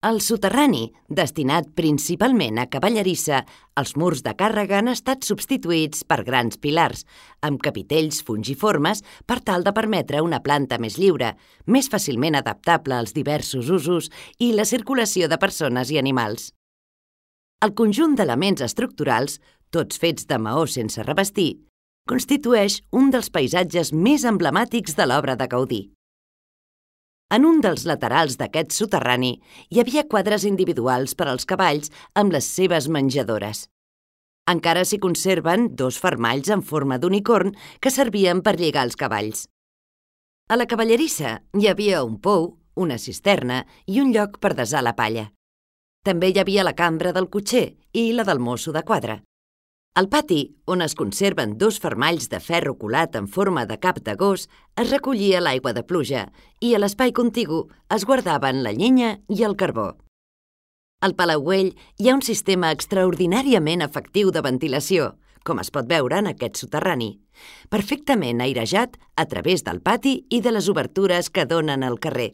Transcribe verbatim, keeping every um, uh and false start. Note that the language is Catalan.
Al soterrani, destinat principalment a cavallerissa, els murs de càrrega han estat substituïts per grans pilars, amb capitells fungiformes per tal de permetre una planta més lliure, més fàcilment adaptable als diversos usos i la circulació de persones i animals. El conjunt d'elements estructurals, tots fets de maó sense revestir, constitueix un dels paisatges més emblemàtics de l'obra de Gaudí. En un dels laterals d'aquest soterrani hi havia quadres individuals per als cavalls amb les seves menjadores. Encara s'hi conserven dos fermalls en forma d'unicorn que servien per lligar els cavalls. A la cavallerissa hi havia un pou, una cisterna i un lloc per desar la palla. També hi havia la cambra del cotxer i la del mosso de quadra. Al pati, on es conserven dos fermalls de ferro colat en forma de cap de gos, es recollia l'aigua de pluja i a l'espai contigu es guardaven la llenya i el carbó. Al palauell hi ha un sistema extraordinàriament efectiu de ventilació, com es pot veure en aquest soterrani, perfectament airejat a través del pati i de les obertures que donen al carrer.